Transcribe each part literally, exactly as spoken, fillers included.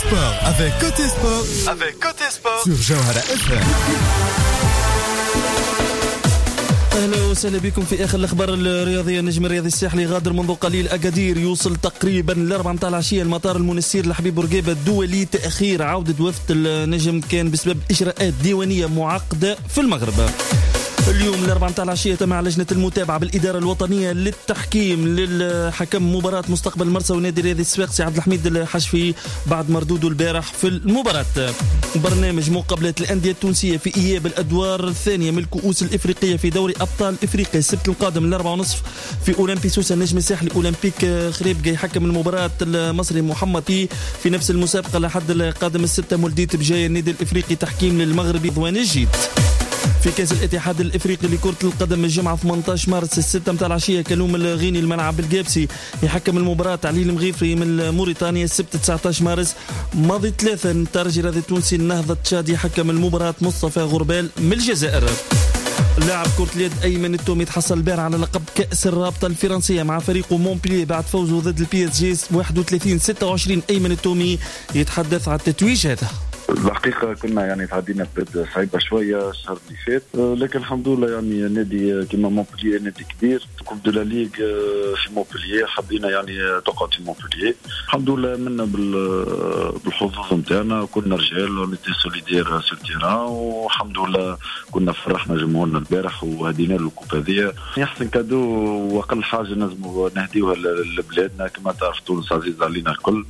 Sport avec Cote Sport avec Cote Sport sur Jawhara F M. اهلا وسهلا بكم في اخر الاخبار الرياضيه. النجم الرياضي الساحلي غادر منذ قليل اكادير، يوصل تقريبا الاربعة متاع العشية المطار المنستير لحبيب بورقيبة الدولي. تاخير عوده وفد النجم كان بسبب اجراءات ديوانيه معقدة في المغرب. اليوم الأربعة متاع العشية تم لجنة المتابعة بالإدارة الوطنية للتحكيم للحكم مباراة مستقبل مرسى ونادي الرياضي الصفاقسي عبد الحميد الحشفي بعد مردودة البارح في المباراة. برنامج مقابلات الأندية التونسية في إياب الأدوار الثانية من الكؤوس الإفريقية في دوري أبطال إفريقيا السبت القادم الأربعة ونصف في أولمبي سوسة النجم الساحلي أولمبيك خريبكة يحكم المباراة المصري محمد في نفس المسابقة لحد القادم الستة مولدية بجاية النادي الإفريقي تحكيم للمغربي ضوان الجيد. في كاس الاتحاد الافريقي لكرة القدم الجمعة ثمانية عشر مارس الستة متاع العشية كلوم الغيني الملعب القابسي يحكم المباراة علي المغيفري من موريتانيا. السبت تسعة عشر مارس ماضي ثلاثة الترجي الرياضي التونسي النهضة تشاد يحكم المباراة مصطفى غربال من الجزائر. لاعب كرة اليد أيمن التومي تحصل البارح على لقب كأس الرابطة الفرنسية مع فريقه مونبلييه بعد فوزه ضد ال PSG واحد وثلاثين ستة وعشرين. أيمن التومي يتحدث على التتويج هذا. الحقيقة كنا يعني تعدينا بلاد صعيبة شوية الشهر اللي فات، لكن الحمد لله يعني نادي كيما مونبلييه نادي كبير، Coupe de la Ligue في مونبلييه حبينا يعني تقعد في مونبلييه، الحمد لله منا بالحظوظ نتاعنا، كنا رجال on était solidaires sur terrain، والحمد لله كنا فرحنا جمهورنا البارح وهدينا له ال coupe هذيا. احسن cadeau واقل حاجة نجموا نهديوها لبلادنا، كما تعرف تونس عزيزة علينا الكل.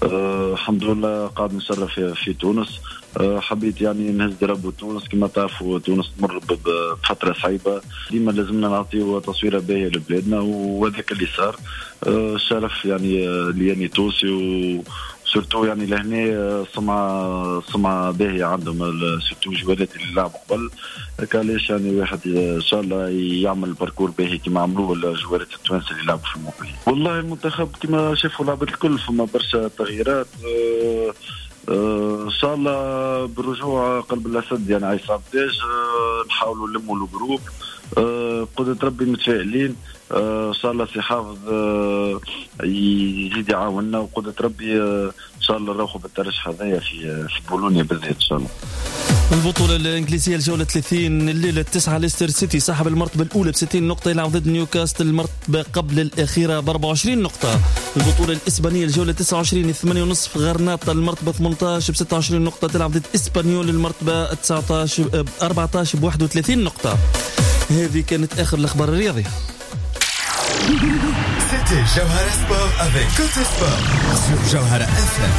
أه الحمد لله قاعد نشرف في, في تونس. أه حبيت يعني نهز drapeau تونس، كما تعرفوا تونس تمر بفترة صعيبة، ديما لازمنا نعطيو تصويره باهيه لبلادنا وهذاك اللي صار. أه الشرف يعني لياني تونسي و surtout يعني لهنا سمعه سمعه باهيه عندهم surtout جوالات اللي لعبوا قبل، هكا علاش يعني واحد ان شاء الله يعمل parcours باهي كما عملوه الجوالات التوانسة اللي لعبوا في الموبيل. والله المنتخب كما شافوا لعبة الكل فما برشا تغييرات، أه أه ان شاء الله بالرجوع قلب الاسد يعني عصام تاج أه نحاولوا نلموا ال groupe، أه قدرة ربي متفائلين، أه ان شاء الله سي حافظ أه يزيد يعاوننا وقدرة ربي أه ان شاء الله نروحوا بالترشح هذايا في في بولونيا بالذات ان شاء الله. البطولة الإنجليزية الجولة ثلاثين الليلة التسعة ليستر سيتي صاحب المرتبة الأولى ب ستين نقطة يلعب ضد نيوكاستل المرتبة قبل الأخيرة ب أربعة وعشرين نقطة. البطولة الإسبانية الجولة تسعة وعشرين ثمانية ونصف غرناطة المرتبة ثمانية عشر ب ستة وعشرين نقطة تلعب ضد إسبانيول المرتبة تسعة عشر أربعة عشر ب واحد وثلاثين نقطة. هذه كانت آخر الأخبار الرياضية. C'était Jawhara Sport avec Cote Sport sur Jawhara F M.